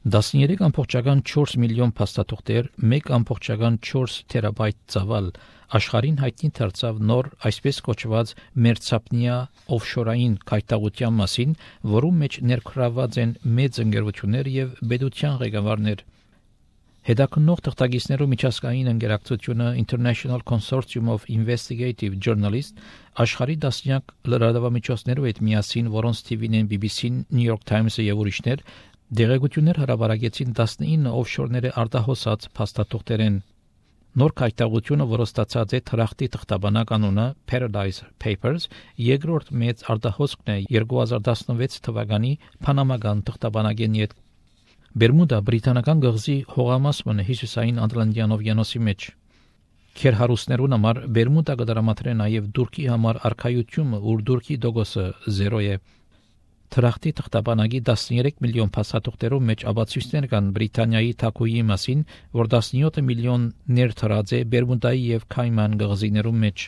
13.4 միլիոն փաստաթուղթեր, 1.4 թերաբայթ ծավալ աշխարհին հայտնի դարձավ նոր այսպես կոչված մերձափնյա օֆշորային քայթաղության մասին, որում մեջ ներգրավված են մեծ ընկերություններ եւ բեդության ղեկավարներ։ Հետաքննող թղթակիցներու միջազգային ընկերակցությունը International Consortium of Investigative Journalists աշխարհի դասնյակ լրատվամիջոցներու հետ միասին, որոնց թիվին են BBC-ն, New York Times-ը եւ ուրիշներ, դեղեցություններ հրապարակեցին 19 օֆշորների արտահոսած փաստաթուղթերեն։ Նոր քայթաղությունը, որը ստացած է թրախտի թղթաբանակ անունը Paradise Papers, երկրորդ մեծ արտահոսքն է 2016 թվականի Փանամական թղթաբանագեն հետ։ Բերմուդա բրիտանական գղզի հողամասն է հյուսիսային Ատլանտյան օվկիանոսի մեջ։ Քերհարուսներուն համար Բերմուդա կդրամատրե նաև Թուրքի համար արխայությունը, ուր Թուրքի դոգոսը 0 է։ Թրախտի թղթաբանագի 13 միլիոն փաստաթուղթերով մեջ աբացույցներ կան Բրիտանիայի թագուհի մասին, որ 17 միլիոն ներթրած է Բերմուդայի եւ Քայման գղզիներում մեջ։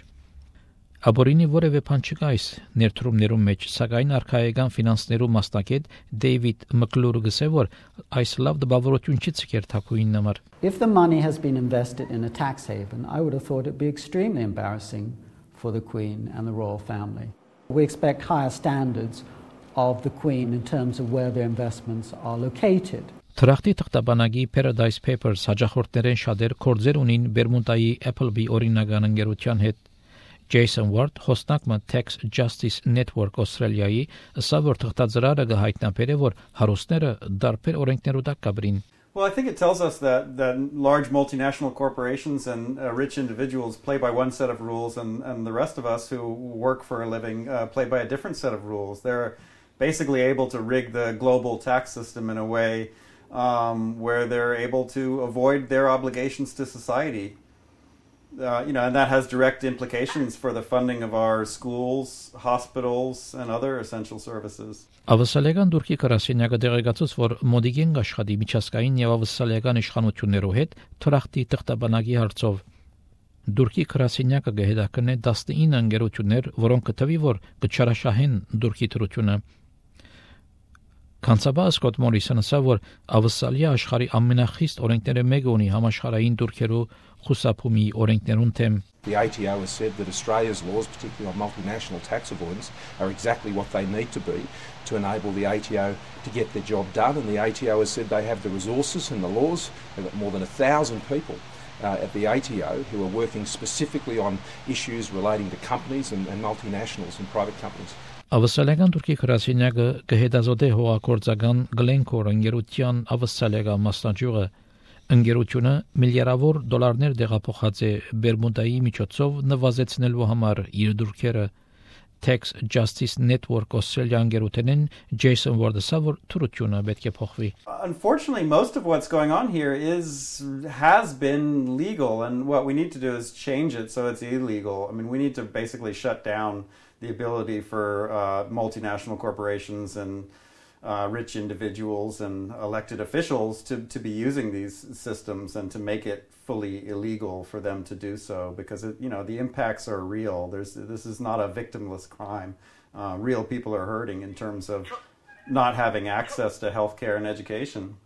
Աբորինի որևէ բան չկա այս ներդրումներում մեջ, սակայն արխայական ֆինանսներու մասնակետ Դեյվիդ Մկլուրը գսե, որ այս լավ դպավորություն չի ցկեր թագուհին համար։ If the money has been invested in a tax haven, I would have thought it'd be extremely embarrassing for the Queen and the royal family. We expect higher standards of the Queen in terms of where their investments are located. Թրախտի թղթաբանագի Paradise Papers հաջախորդներեն շատեր կորձեր ունին Բերմուդայի Appleby օրինական ընկերության հետ։ Jason Ward, հոսնակը Tax Justice Network Australia-ի, ասա որ թղթածրարը կհայտնաբերե, որ հարուստները դարբեր օրենքներու տակ կաբրին։ Well, I think it tells us that large multinational corporations and rich individuals play by one set of rules, and the rest of us who work for a living play by a different set of rules. They're basically able to rig the global tax system in a way where they're able to avoid their obligations to society. And that has direct implications for the funding of our schools, hospitals, and other essential services. Ավսալեգան Թուրքի գրասենյակը դեղեկացուց, որ մոդիգեն աշխատի միջազգային եւ ավսալեգան իշխանություններով հետ թրախտի թղթաբանագի հարցով։ Թուրքի գրասենյակը գեհդակն է 19 ընկերություններ, որոնք կթվի, որ կչարաշահեն Թուրքի դրությունը։ Կանցաբա Սկոտ Մորիսոնը ասա, որ ավսալիա աշխարհի ամենախիստ օրենքները մեկը ունի համաշխարհային թուրքերու խուսափումի օրենքներուն թեմ։ The ATO has said that Australia's laws, particularly on multinational tax avoidance, are exactly what they need to be to enable the ATO to get their job done. And the ATO has said they have the resources and the laws. They've got more than 1,000 people at the ATO who are working specifically on issues relating to companies and multinationals and private companies. Ավսալեգան Թուրքի գրասենյակը կհետազոտե հողագործական Glencore ընկերության ավսալեգա մասնաճյուղը։ Ընկերությունը միլիարդավոր դոլարներ դեղափոխած է Բերմուդայի միջոցով նվազեցնելու համար իր դուրքերը։ Tax Justice Network Australia ընկերութենեն Jason Ward-ը որ թրությունը պետք է փոխվի։ Unfortunately, most of what's going on here has been legal, and what we need to do is change it so it's illegal. I mean, we need to basically shut down the ability for multinational corporations and rich individuals and elected officials to be using these systems and to make it fully illegal for them to do so, because the impacts are real. This is not a victimless crime. Real people are hurting in terms of not having access to healthcare and education.